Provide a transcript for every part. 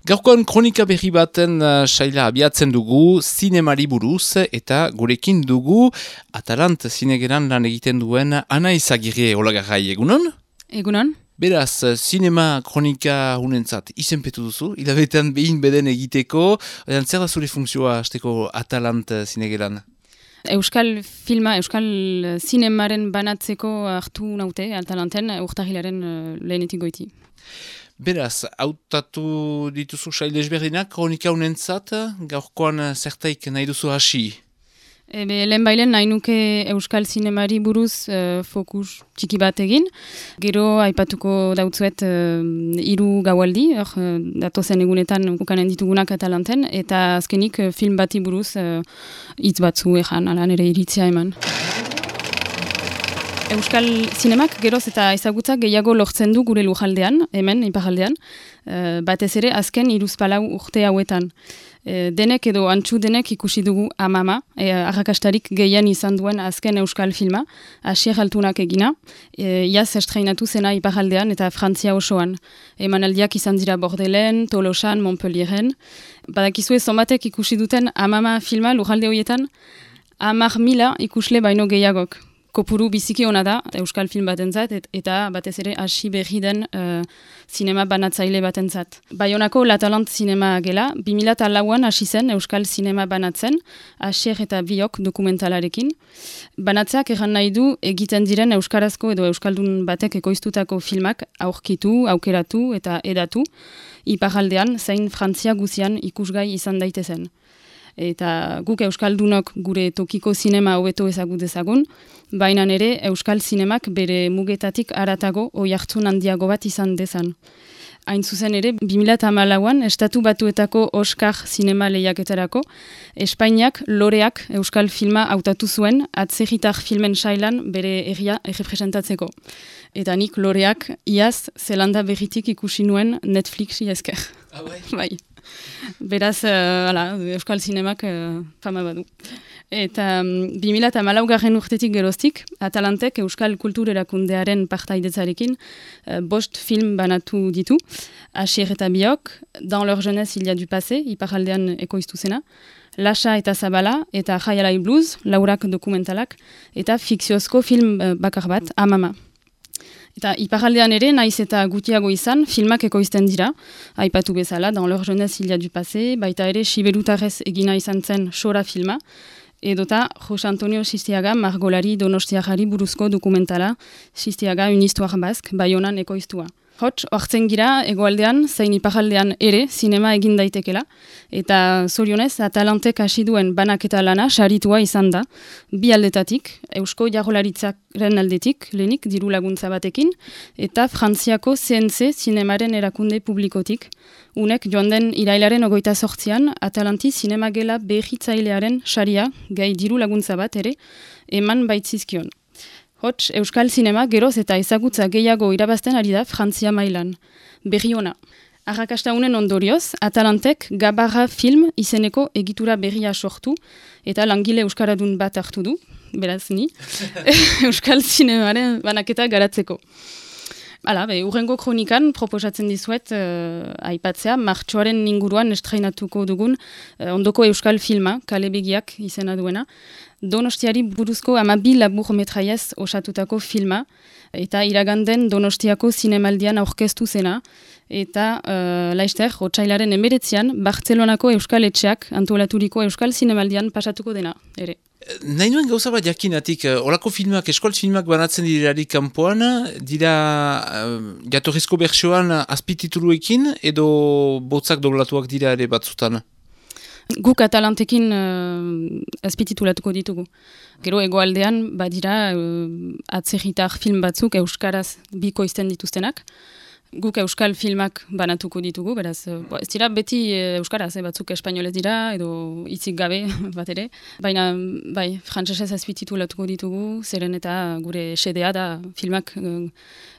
Gaurkoan kronika berri baten saila abiatzen dugu, zinemari buruz, eta gurekin dugu Atalant zinegeran lan egiten duen Ana Izagirre olagarrai, egunon? Egunon. Beraz, zinema kronika hunentzat izenpetu duzu, hilabetean behin beden egiteko, zer da zure funkzioa hasteko Atalant zinegeran? Euskal filma, euskal zinemaren banatzeko hartu naute, Atalanten, urtahilaren lehenetik goiti. Beraz, hautatu dituzu sail ezberdinak kronika hunentzat, gaurkoan zertaik nahi duzu hasi? Lehenbailen nahi nuke euskal zinemari buruz fokus txiki bat egin. Gero aipatuko dautzuet 3 gaualdi, datozen egunetan ukanen ditugunak Atalanten, eta azkenik film bati buruz hitz batzu ejan, ala nire iritzia eman. Euskal zinemak geroz eta ezagutzak gehiago lortzen du gure lujaldean, hemen, iparaldean, batez ere azken 3-4 urte hauetan. Denek edo antxu denek ikusi dugu Amama, arrakastarik gehien izan duen azken euskal filma, Asier Altunak egina, iaz estreinatu zena iparaldean eta Frantzia osoan. Emanaldiak izan dira Bordelen, Tolosan, Montpellieren. Badakizue zonbatek ikusi duten Amama filma lujalde horietan, 10.000 ikusle baino gehiagok. Kopuru biziki ona da, euskal film batentzat, eta batez ere hasi berri den zinema banatzaile batentzat. Baionako Latalant zinema gela, 2004an hasi zen euskal zinema banatzen, Asier eta Biok dokumentalarekin. Banatzeak erran nahi du egiten diren euskarazko edo euskaldun batek ekoiztutako filmak aurkitu, aukeratu eta edatu, iparaldean zein Frantzia guzian ikusgai izan daitezen. Eta guk euskaldunok gure tokiko zinema hobeto ezagut dezagun, baina ere euskal zinemak bere mugetatik haratago oihartzun handiago bat izan dezan. Hain zuzen ere, 2014an Estatu Batuetako Oscar zinema lehiaketarako, Espainiak loreak euskal filma hautatu zuen atzerritar filmen sailan bere herria errepresentatzeko. Eta nik loreak iaz Zelanda berritik ikusi nuen Netflixi esker. Bai. Beraz, euskal zinemak fama badu. Eta 2014 urtetik geroztik, Atalantek euskal kultur erakundearen partaidetzarekin 5 film banatu ditu. Asier eta Biok, Dans leur jeunesse il y a du passé, iparaldean ekoiztu zena, Lasa eta Zabala eta Jaialai Blues, laurak dokumentalak, eta fikziozko film bakar bat, Amama. Eta iparaldean ere, naiz eta gutiago izan, filmak ekoizten dira, aipatu bezala, Dans leur jeunesse il y a du passé, baita ere Siberutarrez egina izan zen Sora filma, edota Jose Antonio Sistiaga margolari donostiagari buruzko dokumentala, Sistiaga une histoire basque, Baionan ekoiztua. Hots, hortzen gira, egoaldean, zein iparaldean ere, zinema egin daitekela, eta zorionez, Atalantek hasi duen banaketa lana saritua izan da, bi aldetatik, Eusko Jaurlaritzaren aldetik, lehenik diru laguntza batekin, eta Frantziako CNC zinemaren erakunde publikotik, unek joan den irailaren 28an, Atalanti zinemagela berritzailearen saria, gai diru laguntza bat ere, eman baitzizkion. Hots, euskal zinema geroz eta ezagutza gehiago irabazten ari da Frantzia mailan. Berri ona. Arrakasta unen ondorioz, Atalantek Gabarra film izeneko egitura berria sortu eta langile euskaradun bat hartu du, beraz ni, euskal zinemaren banaketa garatzeko. Urrengo kronikan proposatzen dizuet aipatzea, martxoaren inguruan estreinatuko dugun ondoko euskal filma, Kale Begiak izena duena, Donostiari buruzko 12 labur metraiez osatutako filma, eta iraganden Donostiako zinemaldian aurkeztu zena, eta laizter, otsailaren 19an, Bartzelonako euskal etxeak antolaturiko euskal zinemaldian pasatuko dena, ere. Nahi nuen gauza bat jakinatik, olako filmak, eskol filmak banatzen direlarik kanpoan, dira jatorrizko bertsioan azpitituluekin edo botzak doblatuak dira ere batzutan? Guk Atalantekin azpititulatuko ditugu. Gero egoaldean badira atzerritar film batzuk euskaraz bikoizten dituztenak. Guk euskal filmak banatuko ditugu, beraz, ez dira beti euskaraz, batzuk espainolez dira, edo hitzik gabe bat ere. Baina, bai, frantsesez azpititulatuko ditugu, zeren eta gure xedea da filmak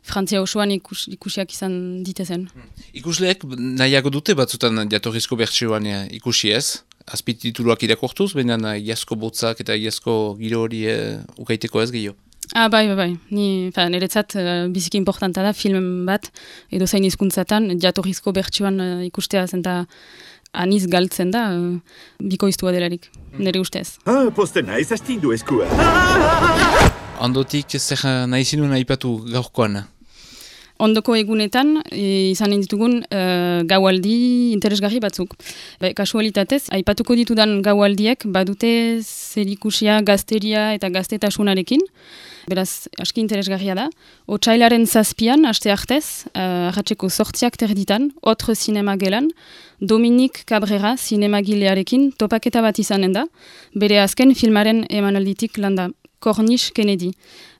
Frantzia osoan ikusiak izan ditezen. Ikusleek nahiago dute batzutan jatorrizko bertsioan ikusi ez? Azpitituluak irakortuz, baina iazko botzak eta iazko giro hori ukaiteko ez gehiago? Bai. Niretzat biziki importanta da film bat, edo zain hizkuntzatan jatorrizko bertsioan ikustea zenta aniz galtzen da, bikoiztua delarik, nire ustez. Posten naiz astindu eskua. Ondotik zer nahi zinuen aipatu gaurkoan? Ondoko egunetan izanen ditugun gaualdi interesgarri batzuk. Kasualitatez, aipatuko ditudan gaualdiek badute zerikusia gazteria eta gaztetasunarekin. Beraz, aski interesgarria da. Otsailaren 7an, aste artez, arratseko 8ak terditan, Otre Zinema gelan, Dominik Cabrera zinemagilearekin topaketa bat izanen da, bere azken filmaren emanalditik landa, Corniche Kennedy.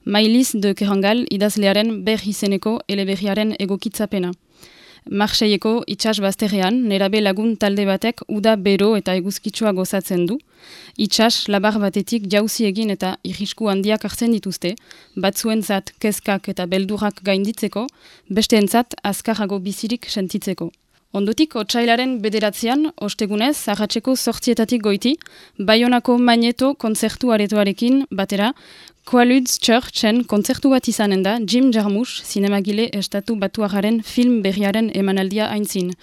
Mailiz de Kerangal idazlearen berri izeneko eleberriaren egokitzapena. Marseilleko itsas bazterrean, nerabe lagun talde batek uda bero eta eguzkitsua gozatzen du. Itsas labar batetik jauzi egin eta irrisku handiak hartzen dituzte, batzuentzat kezkak eta beldurak gainditzeko, besteentzat azkarrago bizirik sentitzeko. Ondotik, otsailaren 9an, ostegunez, arratseko 8etatik goiti, Baionako Magneto kontzertu aretoarekin batera, Quaaludes Churchen kontzertu bat izanen da Jim Jarmusch zinemagile estatu batuararen film berriaren emanaldia aintzin.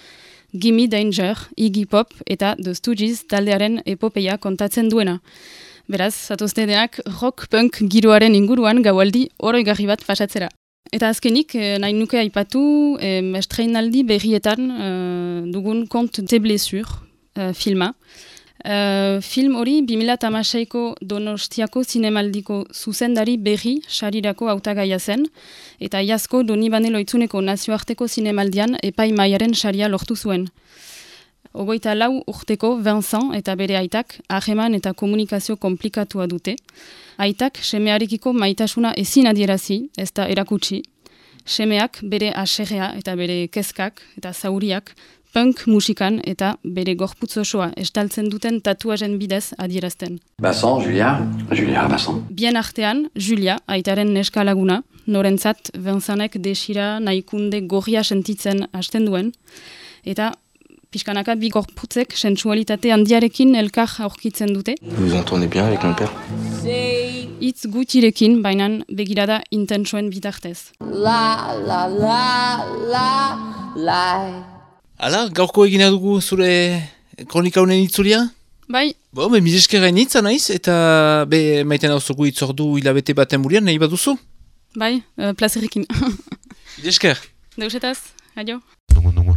Gimme Danger, Iggy Pop eta The Stooges taldearen epopeia kontatzen duena. Beraz, zatoztedeak rock-punk giroaren inguruan gaualdi oroigarri bat pasatzera. Eta azkenik, nahi nuke aipatu, estreinaldi berrietan dugun Conte des Blessures filma. Film hori 2016ko Donostiako zinemaldiko zuzendari berri sarirako hautagaia zen, eta iazko Donibane Loitzuneko nazioarteko zinemaldian epaimaiaren saria lortu zuen. 24 urteko Vincent eta bere aitak harreman eta komunikazio komplikatua dute. Aitak semearekiko maitasuna ezin adierazi, ez da erakutsi. Semeak bere aserrea eta bere kezkak eta zauriak punk musikan eta bere gorputz osoa estaltzen duten tatuajen bidez adierazten. Vincent, Julia, Vincent. Bien artean, Julia, aitaren neska laguna, norentzat Vincentek desira nahikunde gorria sentitzen hasten duen, eta pixkanaka bi gorputzek sensualitate handiarekin elkar aurkitzen dute. Vous entendez bien avec mon père? Hitz gutirekin, bainan begirada intensoen bitartez. Hala, gaurko egina dugu zure kronika honen itzulia? Bai. Milesker gainitza naiz, eta maiten hau zugu itzordu hilabete baten burian, nahi baduzu? Bai, plazerikin. Milesker. Deusetaz, adio. Nungu.